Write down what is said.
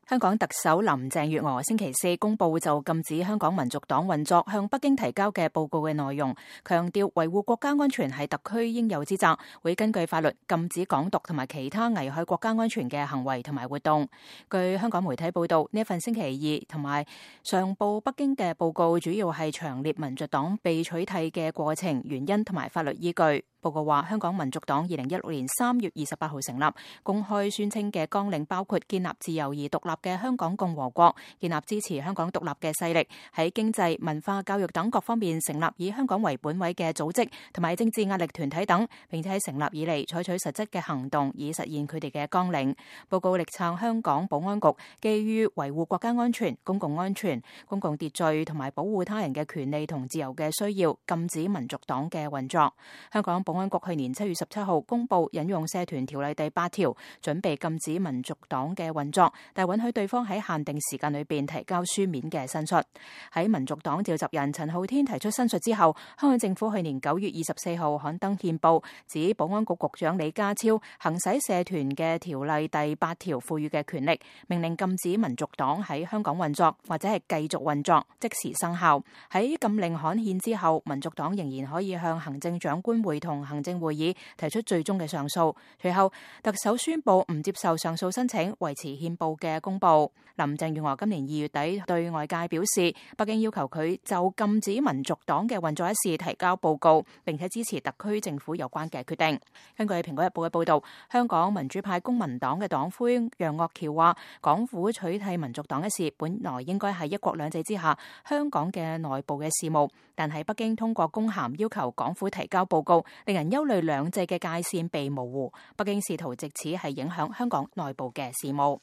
香港特首林鄭月娥星期四公布就禁止香港民族黨運作向北京提交嘅報告嘅內容，強調維護國家安全係特區應有之責，會根據法律禁止港獨同埋其他危害國家安全嘅行為同埋活動。據香港媒體報道，呢一份星期二同埋上報北京嘅報告主要係詳列民族黨被取締嘅過程、原因同埋法律依據。報告話，香港民族黨2016年3月28號成立，公開宣稱嘅綱領包括建立自由而獨立嘅香港共和國，建立支持香港獨立嘅勢力，喺經濟、文化、教育等各方面成立以香港為本位嘅組織同埋政治壓力團體等，並且喺成立以嚟採取實質嘅行動以實現佢哋嘅綱領。報告力撐香港保安局基於維護國家安全、公共安全、公共秩序同埋保護他人嘅權利同自由嘅需要，禁止民族黨嘅運作。香港保安局去年7月17號公布引用社團條例第8條，準備禁止民族黨嘅運作，但允許對方喺限定時間裏邊提交書面嘅申述。喺民族黨召集人陳浩天提出申述之後，香港政府去年9月24號刊登憲報，指保安局局長李家超行使社團嘅條例第8條賦予嘅權力，命令禁止民族黨喺香港運作或者係繼續運作，即時生效。喺禁令刊憲之後，民族黨仍然可以向行政長官會同行政會議提出最終嘅上訴。隨後，特首宣布唔接受上訴申請，維持憲報嘅公布。林鄭月娥今年2月底對外界表示，北京要求佢就禁止民族黨嘅運作一事提交報告，並且支持特區政府有關嘅決定。根據《蘋果日報》嘅報道，香港民主派公民黨嘅黨魁楊岳橋話，港府取締民族黨一事本來應該係一國兩制之下香港嘅內部嘅事務，但係北京通過公函要求港府提交報告，令人憂慮兩制嘅界線被模糊。北京試圖藉此係影響香港內部嘅事務。